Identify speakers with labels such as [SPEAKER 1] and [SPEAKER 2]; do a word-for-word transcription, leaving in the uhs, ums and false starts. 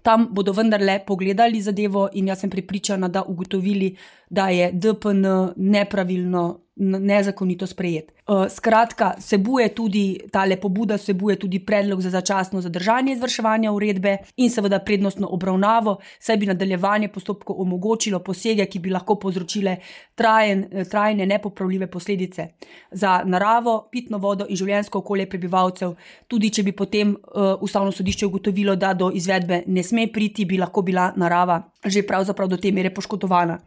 [SPEAKER 1] Tam bodo vendarle pogledali zadevo in jaz sem prepričana, da ugotovili, da je D P N nepravilno, nezakonito sprejet. Skratka, vsebuje tudi, tale pobuda vsebuje tudi predlog za začasno zadržanje izvrševanja uredbe in seveda prednostno obravnavo, saj bi nadaljevanje postopkov omogočilo posege, ki bi lahko povzročile trajen, trajne nepopravljive posledice za naravo, pitno vodo in življenjsko okolje prebivalcev. Tudi če bi potem uh, Ustavno sodišče ugotovilo, da do izvedbe ne sme priti, bi lahko bila narava že pravzaprav do te mere poškodovana.